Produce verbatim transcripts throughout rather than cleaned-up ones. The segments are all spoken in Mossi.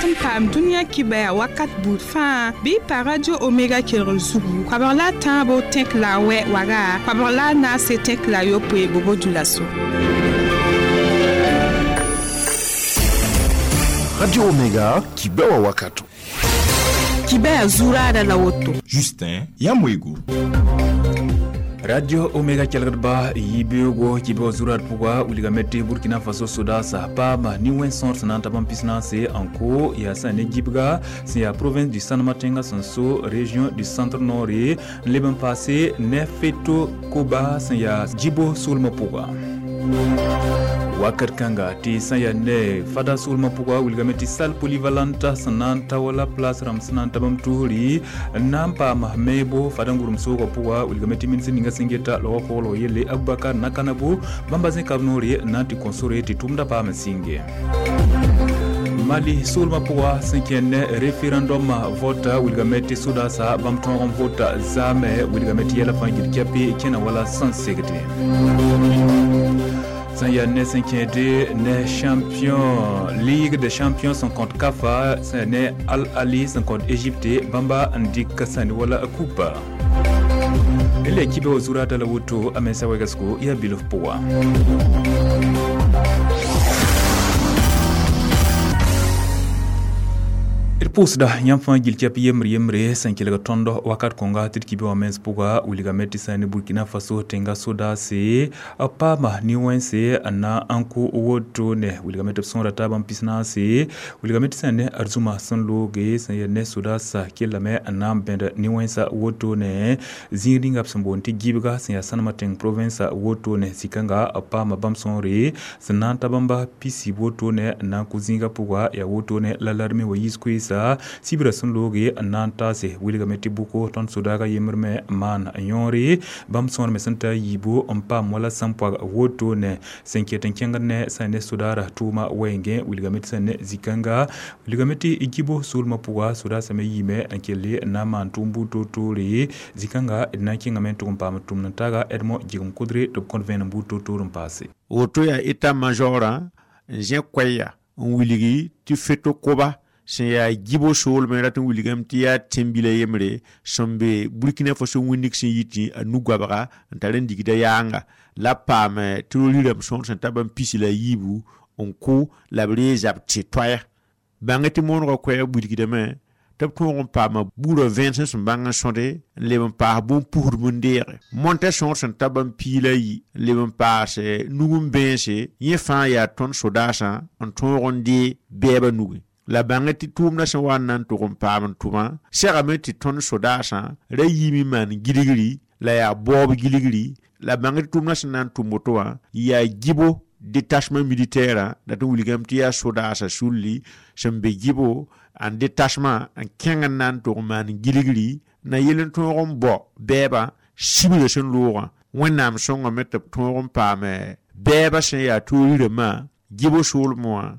dat n paam dũniyã kibɛa wakat buud fãa bɩ pa Radio Omega kelgr zugu koabg la a tãabo tẽk la a wɛ waga koabg la a naase tẽk la a yopoe bobo dulaso. Radio Omega kibɛwa wakato. Kibɛa zuraada la woto. Justin Yamwego. Radio Omega kelgdba yibeogo kibe zurat pʋga wilgame tɩ Burkina Faso sodaasa paama nin-wẽns sõor sẽn na n ta bãmb pis-naase n ko yaa sã ne gibga sẽn yaa province du Sanma tẽngã sẽn so région du centre nord n leb n paase ne Feto Koba sẽn yaa Djibo soolmã pʋga. Wakat kãnga tɩ sã yaa ne fada soolmã pʋga wilgame tɩ salle polyvalente sẽn na n ta wala place rãmb sẽn na n ta bãmb tusri n na n paam meebo fada n gʋrem soogã pʋga wilgame tɩ ministr ninga sẽn geta logã koglg yelle Abubakar Nakanabo bãmba zẽka b noore n na n tɩ kõ sore tɩ tʋʋmdã paam n sɩnge. Mali soolmã pʋga sẽn kẽnd ne référendum vota wilgame tɩ sodaasa bãmb tõog n vota zaame wilgame tɩ yɛla fãa gil kɛpɩ kẽna wala sẽn segde. Sẽn yaa ne sẽn kẽede ne champion ligue des champions sẽn kõt kafa sẽn ne Al Ali sẽn kõt Égypte bãmba n dɩk sãni wala kupa. Le kibe wa zurada la woto a mensa wɛgsgo yaa bilf pʋga. D pʋʋsda yãmb fãa gil kɛp yembre yembre sẽn kelg tõndo wakat kõnga tɩ d kibe wã mens pʋga wilgame tɩ sã ne Burkina Faso tẽnga sodaase paama nin-wẽnse n na n kʋ woto ne wilgame tɩ b sõora taabã n pis-naase wilgame tɩ sã ne arzũma sẽn looge sẽn yaa ne sodaasa kellame n na n bẽd nin-wẽnsa woto ne zĩig ninga b sẽn boond tɩ gibga sẽn yaa sãnema tẽng province woto ne zĩ-kãnga b paama bãmb sõore sẽn na n ta bãmba pisi woto ne n na n kʋ zĩigã pʋga yaa woto ne la larme wa yiis koeesa sibra sẽn looge n na n taase wilgame tɩ bʋko tõnd sodaaga yembr me maan yõore bãmb sõor me sẽn ta yiibo n paam wala sẽn poag woto ne sẽn ket n kẽngd ne sã ne sodaara tʋʋma wɛɛngẽ wilgame tɩ sã ne zĩ-kãnga wilgame tɩ gibo soolmã pʋga sodaasã me yiime n kelle n na n maan tʋʋm buud toor-toore zĩ-kãnga d na n kẽngame n tʋg n paam tʋmd n taaga Edmond Gigem Kʋdre tɩ b kõt vẽenem buud toor-toor n paase. Woto yaa état-major n zẽ koɛɛya n wilgi tɩ Feto Koba sẽn yaa Djibo soolmẽ rat n wilgame tɩ yaa tẽn-bila yembre sẽn be Burkina Faso wĩnnig sẽn yitẽ a nu-goabga n tar n digda yaanga la b paam terroriste rãmb sõor sẽn ta bãmb pisi la yiibu n kʋ la b ree zab tɩ toaya bãng tɩ moonegã koɛɛg wilgdame tɩ b tõog n paama buudã vẽensẽ sẽn bãng n sõde n leb n paas bũn-pusdb n deege monta sõor sẽn ta bãmb piig la yi n leb n paas nug n bẽense yẽ fãa yaa tõnd sodaasã n tõog n dee bɛɛbã nugẽ la bãng tɩ tʋʋmdã sẽn wa n na n tʋg n paam n tʋmã segame tɩ tõnd sodaasã ra yiime n maan gilgri la yaa baoob gilgri la bãng tɩ tʋʋmdã sẽn na n tʋm woto wã yaa Djibo détachement militaire la tɩ wilgame tɩ yaa sodaasã sulli sẽn be Djibo n détachement n kẽng n na n tʋg n maan gilgri na yel n tõog n bao bɛɛbã sibra sẽn loogã Wẽnnaam sõngame tɩ b tõog n paam bɛɛbã sẽn yaa toori rãmbã Djibo soolmẽ wã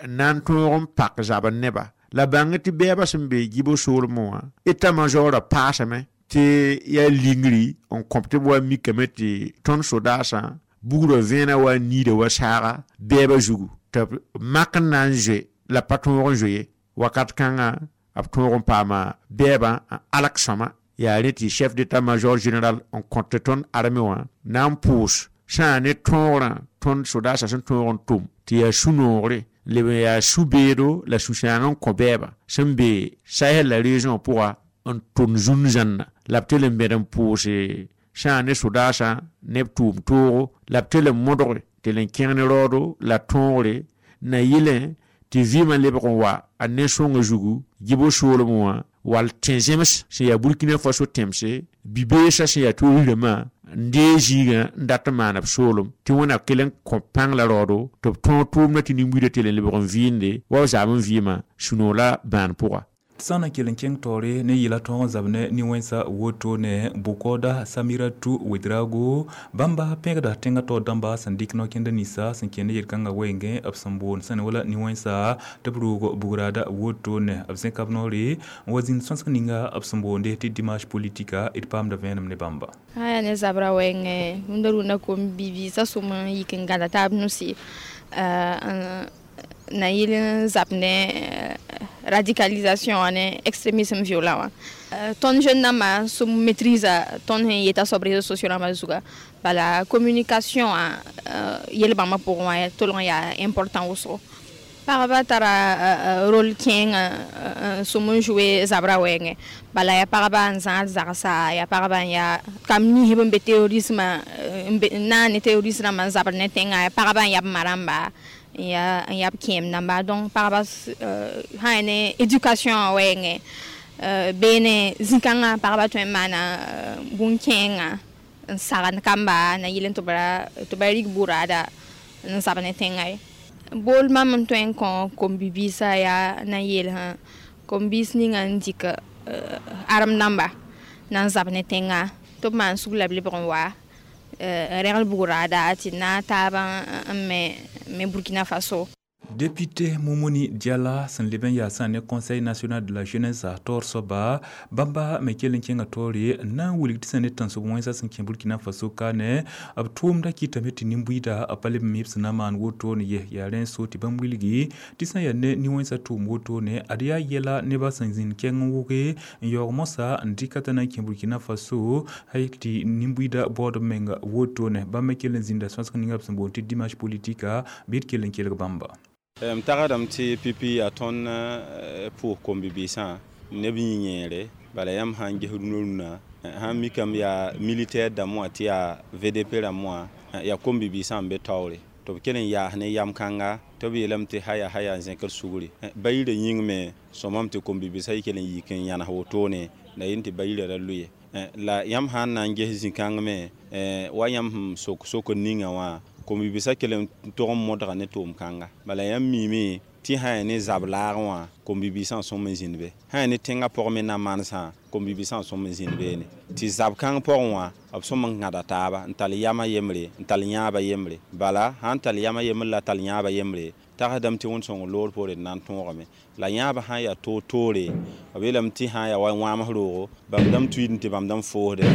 n na n tõog n pak zabr neba la bãng tɩ bɛɛbã sẽn be Djibo soolmẽ wã état-major paasame tɩ yaa lingri n kõp tɩ b wa mikame tɩ tõnd sodaasã bugrã vẽenã wa niida wa saaga bɛɛbã zugu tɩ b mak n na n zoe la pa tõog n zoe ye wakat kãngã b tõog n paama bɛɛbã n alk sõma yaa rẽ tɩ chef d'état-major général n kõt tɩ tõnd armée wã na n pʋʋs sã ne tõogrã tõnd sodaasã sẽn tõog n tʋm tɩ yaa sũ-noogre leb n yaa sũ-beedo la sũ-sãang n kõ bɛɛba sẽn be Sahel la région pʋga n tʋm zũn-zãnna la b tɩ n bẽd n pʋʋse sã ne sodaasã ne b tʋʋm toogo la b tɩ n modge tɩ n kẽng ne raoodo la tõogre na yɩlẽ tɩ vɩɩmã lebg n wa a ne-sõngã zugu Djibo soolmẽ wã wall tẽ-zems sẽn yaa Burkina Faso tẽmse bi-beesã sẽn yaa toori rãmbã n dee zĩigã n dat n maan b soolem tɩ Wẽnnaam kell n kõ pãng la raoodo tɩ b tõog tʋʋmdã tɩ nin-buidã tɩ n lebg n vɩɩnde wa b zaam n vɩɩmã sũ-noog la bãan pʋga. Sã na kell n kẽng taoore ne yɩla tõog n zab ne nin-wẽnsã woto ne Bʋkooda Samiratu Wedrago bãmba pẽgda tẽngã taoor dãmba sẽn dɩk no-kẽndã ninsã sẽn kẽnd yel-kãngã wɛɛngẽ b sẽn boond sẽn wala nin-wẽnsa tɩ b roog bugraada woto ne b zẽka b noore n wa zĩnd sõsg ninga b sẽn boonde tɩ dimanche politika d paamda vẽenem ne bãmba. Aya ne zabra wɛɛngẽ wẽnda rũnã kom-bi-vɩɩsã sʋm n yik n gãda taab nusi na yɩl n zab ne Radicalisation wã ne extrémisme violent wã. Tõnd jeune dãmbã sẽn maîtrise tõnd sẽn yeta soab réseaux sociaux rãmbã zuga, bala communication wã yel bãmbã pʋgẽ wã tolg n yaa important wʋsgo. Pagba tara rôle kẽengã sũm n jouer zabrã wɛɛngẽ, bala yaa pagba n zãad zagsa, yaa pagba n yaa kam ninsb n be terrorisme n na n ne terroriste rãmbã n zabr ne tẽngã, yaa pagba n yaa b ma rãmba, n yaa n yaa b kẽem dãmba. Donc pagba sã yaa ne éducation wã wɛɛngẽ, beene zĩ-kãngã pagba tõe n maana bũn-kẽengã n sagend kamba na yɩl tɩ b tɩ ba rig bʋraada n zab ne tẽngã ye. Bool mam n tõe n kõ kom-bibiisã yaa na n yeelsã kom-biis ninga n dɩk arem dãmba na n zab ne tẽngã tɩ b maan sug la b lebg n wa n rẽgl bug-raada tɩ d na taab n me Burkina Faso. Député Moumouni Diala sẽn leb n yaa sã ne Conseil national de la jeunesse taoor soaba, bãmba me kell n kẽnga taoore n na n wilg tɩ sã ne tãnsʋg wẽnsã sẽn kẽ Burkina Faso ka ne b tʋʋmda kɩtame tɩ nin-buiida pa leb n mi b sẽn na n maan wotone ye. Yaa rẽ n so tɩ bãmb wilgi tɩ sã n yaa ne nin-wẽnsã tʋʋm wotone, ad yaa yɛla nebã sẽn zĩnd kẽng n wʋge n yaoog mosã n dɩka t'a na n kẽ Burkina Faso hay tɩ nin-buiida baood b menga wotone. Bãmb me kell n zĩnda sõsg ninga b sẽn boond tɩ dimanche politique bɩ d kell n kelg bãmba. M tagsdame tɩ pipi yaa tõnd pʋʋs kom-bibiisã neb yĩ-yẽere, bala yãmb sã n ges rũnã rũnã sãn mikame yaa militaire dãmb wã tɩ yaa V D P rãmb wã yaa kom-bibiisã n be taoore tɩ b kell n yaas ne yam kãnga tɩ b yeelame tɩ haya haya n zẽkd sugri bayirã yĩng me sõmame tɩ kom-bibiisã yɩ kell n yik n yãnes wotone la yẽ tɩ bayirã ra lʋ ye. La yãmb sã n na n ges zĩ-kãng me wa yãmb sẽn sok sokr ninga wã, kom-bibiisã kell n tog n modga ne tʋʋm kãnga. Bala yãmb miime tɩ sã yaa ne zab laagẽ wã, kom-bibiisã sõm n zĩnd be, sã yaa ne tẽngã pʋgẽ me na manesã, kom-bibiisã sõm n zĩnd beene, tɩ zab kãng pʋgẽ wã b sõm n gãda taaba n tall yamã yembre n tall yãabã yembre. Bala sã n tall yamã yembr la tall yãabã yembre, tagsdame tɩ wẽnd-sõng loor poore d na n tõogame. La yãabã sã n yaa toor-toore, b yeelame tɩ sã n yaa wa wãams roogo, bãmb dãmb tuiidẽ tɩ bãmb dãmb foosde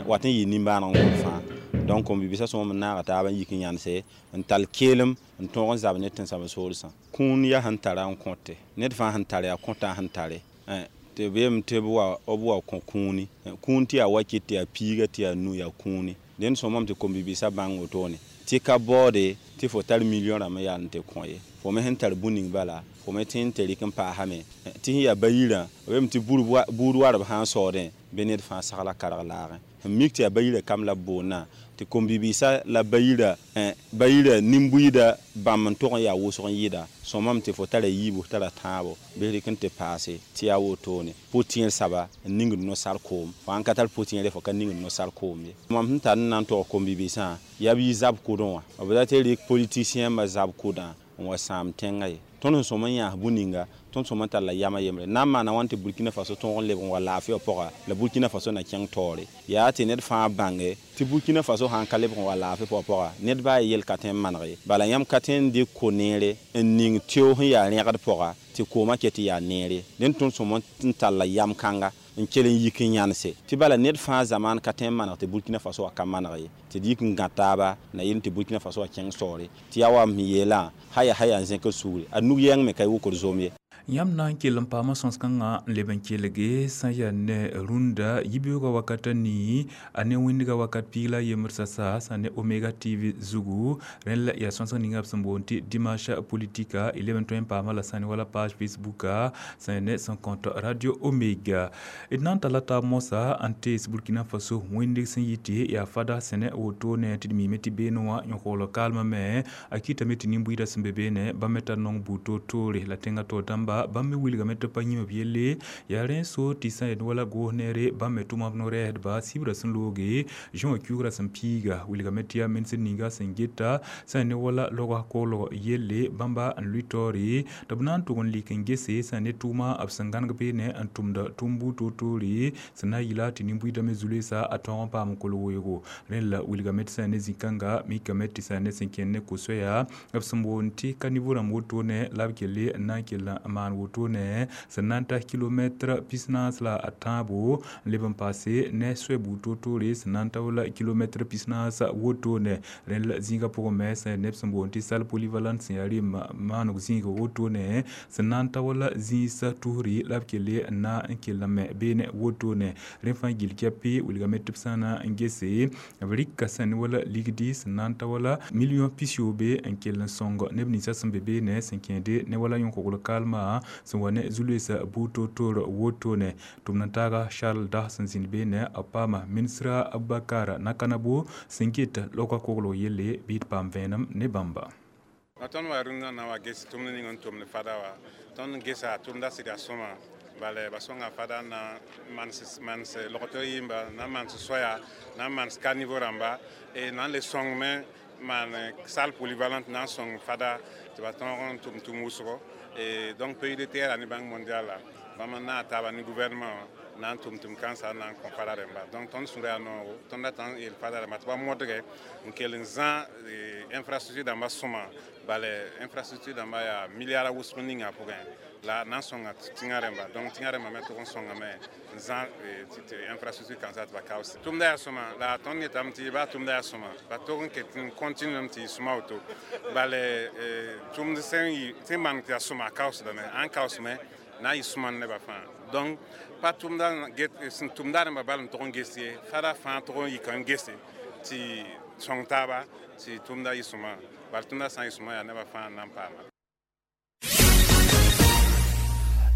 wat n yɩ nimbãaneg n kõ fãa. Donc kom-bibiisã sõm n naaga taab n yik n yãnse n tall keelem n tõog n zab ne tẽn-sãbã soolsã. Kũun yaa sẽn tara n kõte, ned fãa sẽn tare yaa kõta sẽn tare tɩ b yeelame tɩ b wa b wa kõ kũuni, kũun tɩ yaa wakɩt tɩ yaa piiga tɩ yaa nu yaa kũuni. Dẽnd sõmame tɩ kom-bibiisã bãng wotone tɩ ka baoode tɩ fo tar million rãmb n yaa n tɩ kõ ye, fo me sẽn tar bũn ning bala fo me tõe n tɩ rɩk n paasame tɩ sẽn yaa bayirã b yeelame tɩ buud warb sã n saoodẽ bɩ ned fãa sagla karg laagẽ sẽn mik tɩ yaa bayirã kam la b boondã tɩ kom-bibiisã la bayirã bayirã nin-buiida bãmb n tog n yaa wʋsg n yɩda sõmame tɩ fo tara yiibu tara tãabo bɩ rɩk n tɩ paase tɩ yaa wotone pʋ-tẽer saba n ningd no-sar koom. Fo sãn ka tar pʋ-tẽere fo ka ningd no-sar koom ye. Mam sẽn tar n na n tog kom-bibiisã yaa b yɩ zab kʋdẽ wã, b ra tɩ rɩk politicien ma zab kʋdã n wa sãam tẽngã ye. Tõnd sẽn sõm n yãas bũn-ninga, tõnd sõm n talla yamã yembre na n maana wãn tɩ Burkina Faso tõog n lebg n wa laafɩ wã pʋga la Burkina Faso na kẽng taoore. Yaa tɩ ned fãa bãnge tɩ Burkina Faso sã n ka lebg n wa laafɩ pʋgã pʋga ned baa ye yel ka tõe n maneg ye. Bala yãmb ka tõe n dɩk ko-neere n ning teo sẽn yaa rẽgd pʋga tɩ koomã ket tɩ yaa neere. Dẽnd tõnd sõm n talla yam kãnga n kell n yik n yãnse tɩ bala ned fãa zamaan ka tõe n maneg tɩ Burkina Faso wã ka maneg ye, tɩ d yik n gã taaba na yel tɩ Burkina Faso wã kẽng saoore tɩ yaa wa m yeelã haya haya n zẽkd sugri a nug yɛng me ka wʋkd zom ye. Yãmb na n kell n paama sõs-kãngã n leb n kelge sã n yaa ne rũndã yibeoogã wakata nii a ne wĩndgã wakat piig la a yembr sasa sã ne Omega T V zugu. Rẽnd la yaa sõsg ninga b sẽn boond tɩ dimanche politique y leb n tõe n paama la sã ne wala page Facebook sã ne sẽn kõt Radio Omega. D na n talla taab moasã n tees Burkina Faso wĩndg sẽn yɩ tɩ yaa fada sẽne wotone tɩ d miime tɩ beene wã yõkoogl kaalmã me a kɩtame tɩ nin-buiidã sẽn be beene bãmb me tar nong buud toor-toore la tẽngã taoor dãmba bãmb me wilgame tɩ pa yĩm b yelle yaa rẽ n so tɩ sã n wala goos neere bãmb me tʋma b no-rɛɛsdba sibra sẽn looge zĩ wã kiuugrã sẽn piiga wilgame tɩ yaa mensd ninga sẽn geta sã n ne wala logs koglg yelle bãmba n lʋɩ taoore tɩ b na n tʋg n lik n gese sã n ne tʋʋma b sẽn gãneg beene n tʋmd tʋʋm buud toor-toore sẽn na n yɩla tɩ nin-buiidã me zu-loeesa a tõog n paam n kolg weoogo. Rẽnd la wilgame tɩ sã n ne zĩ-kãnga mikame tɩ sã n ne sẽn kẽnd ne ko-soɛya b sẽn boond tɩ ka niveau rãmb wotone la b kelle n na n kell n maan maan wotone sẽn na n ta kilomɛtr pis-naas la a tãabo n leb n paase ne soɛ buud toor-toore sẽn na n ta wala kilomɛtr pis-naas wotone rẽnd la zĩigã pʋgẽ me sẽn neb sẽn boond tɩ salle polyvalente sẽn yaa rem maaneg zĩiga wotone sẽn na n ta wala zĩis tusri la b kelle n na n kell n me beene wotone rẽ fãa gill kɛpɩ wilgame tɩ b sã na n gese b rɩka sẽn ne wala ligdi sẽn na n ta wala million pis-yoobe n kell n sõng neb ninsã sẽn be beene sẽn kẽede ne wala yõkogl kalma sẽn wa ne zu-loeesã buud toor-toor wotone tʋmd n taaga Charles Dah sẽn zĩnd beene b paama ministra Abubakar Nakanabo sẽn get loka koglg yelle bɩ d paam vẽenem ne bãmba. Tõnd wa rũndã na wa ges tʋmd ning n tʋmd fada wa tõnd gesa tʋmda sɩda sõma bala ba sõnga fada na mans mans logto yĩmba na mans soya na mans caniveau rãmba e na n le sõng me maan salle polyvalente na n sõng fada tɩ ba tõog n tʋm tʋm wʋsgo e donc pays de terre ne Banque mondiale bãmb n na taaba ne gouvernement na n tʋm tʋm kãnsã na n kõ fada rẽmba donc tõnd sũur yaa noogo tõnd dat n yeel fada rẽmba tɩ ba modge n kell n zã infrastructure dãmba sõma bala infrastructure dãmba yaa milliard wʋsg ninga pʋgẽ la na n sõnga tẽngã rẽmba donc tẽngã rẽmba me tʋg n sõngame n zã tɩ infrastructure kãnsã tɩ ba kaoose tʋmda yaa sõma la tõnd yetame tɩ baa tʋmda yaa sõma ba tʋg n ket n continuame tɩ yɩ sõma woto bala tʋmd sẽn sẽn maan tɩ yaa sõma a kaoosdame ãn kaoosme na n yɩ sõma nebã fãa donc pa tʋmda sẽn tʋmda rẽmba bal n tʋg n ges ye fada fãa tʋg n yika n gese tɩ sõng taaba tɩ tʋmda yɩ sõma bala tʋmda sã n yɩ sõma yaa nebã fãa n na n paama.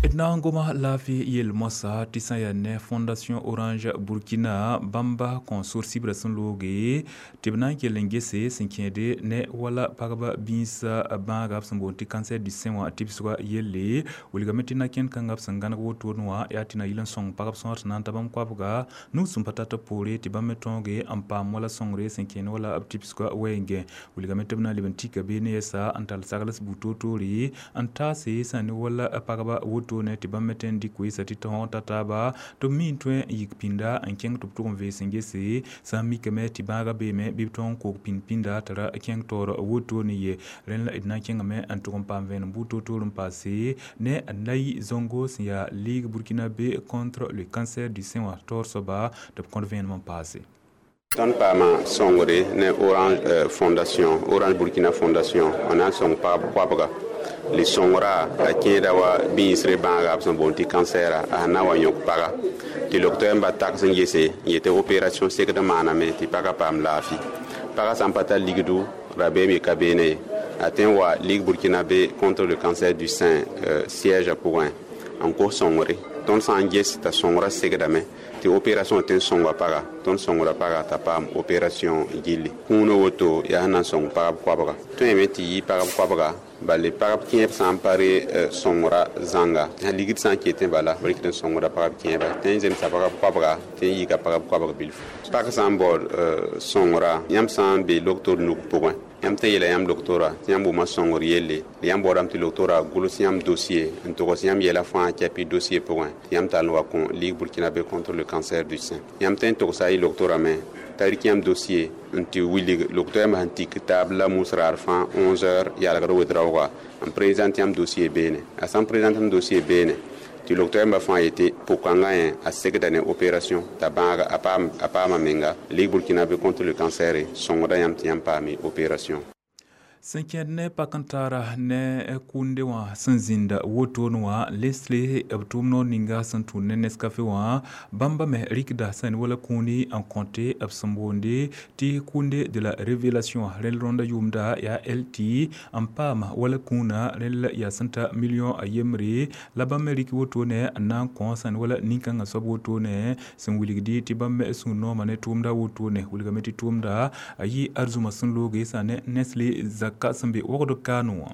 D na n goma laafɩ yell moasã tɩ sã yaa ne Fondation Orange Burkina bãmba kõ sor-sɩbrã sẽn looge tɩ b na n kell n gese sẽn kẽede ne wala pagba bĩisã bãaga b sẽn boond tɩ cancer du sein wã tɩbsgã yelle wilgame tɩ na-kẽnd kãnga b sẽn gãneg wotone wã yaa tɩ na yɩl n sõng pagb sõor sẽn na n ta bãmb koabga nug sẽn pa tat b poore tɩ bãmb me tõoge n paam wala sõngre sẽn kẽen wala b tɩbsgã wɛɛngẽ wilgame tɩ b na n leb n tika beene yɛsa n tall sagls buud toor-toore n taase sã ne wala pagba wotone tɩ bãmb me tõe n dɩk koeesã tɩ tõog ta taaba tɩ b mi n tõe n yik pĩnda n kẽng tɩ b tʋg n vees n gese sã n mikame tɩ bãagã beeme bɩ b tõog n koog pĩnd pĩnda tɩ ra kẽng taoor wotone ye rẽnd la d na n kẽngame n tʋg n paam vẽenem buud toor-toor n paase ne Nayi Zongo sẽn yaa Ligue burkinabé contre le cancer du sein wã taoor soaba tɩ b kõt vẽenem n paase. Tõnd paama sõngre ne Orange uh, Fondation, Orange Burkina Fondation n na n sõng pagb koabga le sõngra a kẽeda wa bĩisre bãaga b sẽn boond tɩ kansɛɛra a sẽn na n wa yõk paga tɩ docteur n ba taks n gese n yetɩ opération segd n maaname tɩ pagã paam laafɩ pagã sã n pa tar ligdo rabeem ye ka beene ye a tõe n wa Ligue burkinabé contre le cancer du sein uh, siège pʋgẽ n kos sõngre tõnd sã n ges t'a sõngrã segdame tɩ opération tõe n sõnga paga tõnd sõngra paga t'a paam opération gilli kũunã woto yaa sẽn na n sõng pagb koabga tõeme tɩ yɩ pagb koabga bala pagb kẽeb sã n pa re sõngra zãnga ligd sã n ketẽ bala b rɩkd n sõngra pagb kẽeba tõe n zemsa pagb koabga tɩ n yika pagb koabg bilfu pag sã n baood sõngra yãmb sã n be loktor nug pʋgẽ yãmb tɩ yeela yãmb doktora tɩ yãmb wʋma sõngr yelle yãmb baoodame tɩ doktora gʋls yãmb dossier n togs yãmb yɛla fãa kɛpɩ dossier pʋgẽ tɩ yãmb tall n wa kõ Ligue burkinabé contre le cancer du sein yãmb tõe n togsa y doktorã me t'a rɩk yãmb dossier n tɩ wilg docteur yãmb sẽn tik taab la mus raar fãa onze heures yalgr wed-raooga n présente yãmb dossier beene a sã n présente yãmb dossier beene tɩ docteur yãmba fãa yetɩ pʋg-kãngã yẽ a segda ne opération t'a bãaga a paama menga Ligue burkinabé contre le cancer sõngda yãmb tɩ yãmb paame opération. Sẽn kẽed ne pak n taara ne kũunde wã sẽn zĩnda wotone wã Nestlé b tʋʋm noor ninga sẽn tũud ne Nescafé wã bãmba me rɩkda sã ne wala kũuni n kõte b sẽn boonde tɩ kũunde de la révélation rẽnd rõndã yʋʋmda yaa L T n paama wala kũunã rẽnd la yaa sẽn ta million a yembre la bãmb me rɩk wotone n na n kõ sã ne wala nin-kãngã soab wotone sẽn wilgdi tɩ bãmb me sũ noomã ne tʋʋmda wotone wilgame tɩ tʋʋmda a yɩ arzũmã sẽn looge sã ne Nestlé zaka sẽn be wogd kaanu wã.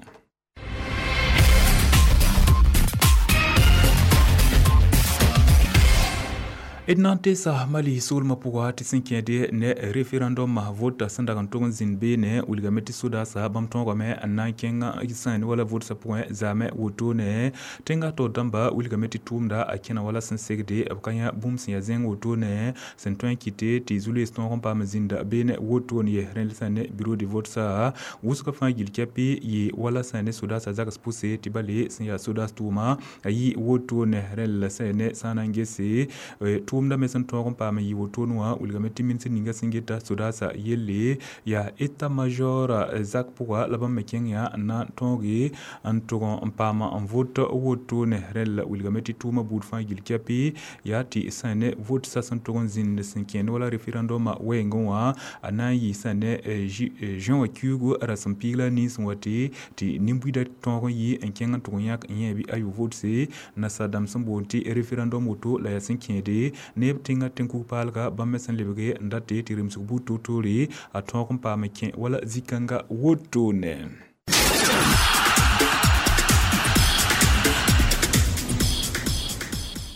D na n teesa Mali soolmã pʋga tɩ sẽn kẽede ne référendum vota sẽn dag n tʋg n zĩnd beene wilgame tɩ sodaasã bãmb tõogame n na n kẽng sãen wala votsã pʋgẽ zaamẽ wotone tẽngã taoor dãmba wilgame tɩ tʋʋmda a kẽna wala sẽn segde b ka yã bũmb sẽn yaa zẽng wotone sẽn tõe n kɩte tɩ zu-loees tõog n paam zĩnda beene wotone ye rẽnd sã ne bureau de vote sa wʋsgã fãa gill kɛpɩ yɩ wala sã ne sodaasã zags pʋse tɩ ba le sẽn yaa sodaas tʋʋma a yɩ wotone rẽnd la sã ne sã n na n gese tʋʋmda me sẽn tõog n paam n yɩ wotone wã wilgame tɩ minsr ninga sẽn geta sodaasã yelle yaa état major zak pʋga la bãmb me kẽng yaa n na n tõoge n tʋg n paam n vot wotone rẽnd la wilgame tɩ tʋʋmã buud fãa gill kɛpɩ yaa tɩ sã ne vot sa sẽn tʋg n zĩnd sẽn kẽend wala référendum wɛɛngẽ wã a na n yɩ sã ne juin wã kiuugu rasem piig la nins n wa tɩ tɩ nin-buiidã tõog n yɩ n kẽng n tʋg n yãk n yẽ bɩ ayo votse nasa dãmb sẽn boond tɩ référendum woto la yaa sẽn kẽede neb tẽngã tẽn-kug paalga bãmb me sẽn lebge n date tɩ remsg buud toor-toore a tõog n paam n kẽ wala zĩ-kãnga wotone.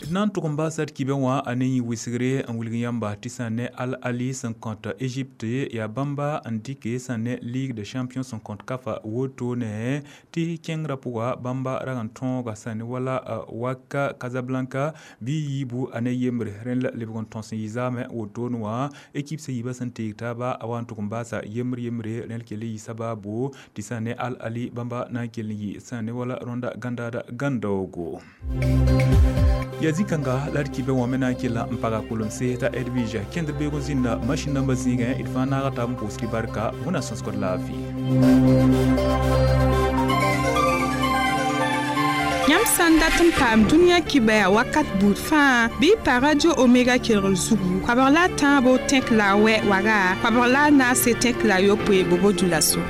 D na n tʋg n baasa d kibẽ wã a ne yĩ wɩsgre n wilg yãmba tɩ sã ne Al Ahly sẽn kõt Égypte yaa bãmba n dɩke sã ne Ligue des champions sẽn kõt kafa wotone tɩ kẽngrã pʋga bãmba rag n tõoga sã ne wala waka Casablanca bɩ yiibu a ne yembre rẽnd la lebg n tõs n yɩ zaamẽ wotone wã ekip sẽn yiibã sẽn teeg taaba a wa n tʋg n baasa yembre yembre rẽnd kell n yɩ sabaabo tɩ sã ne Al Ahly bãmba na n kell n yɩ sã ne wala rõnda gãndaada gãndaoogo. Yaa zĩ-kãnga la d kibẽ wã me na n kella n paga kolemse t'a Edwige kẽndr beoog n zĩnda masĩn nambã zĩigẽ d fãa naaga taab n pʋʋs tɩ barka wẽna sõsgd laafɩ. Yãmb sã n dat n paam dũniyã kibɛa wakat buud fãa bɩ pa Radio Omega kelgr zugu koabg la a tãabo tẽk la a wɛ waga koabg la a naase tẽk la a yopoe bobo dula-so.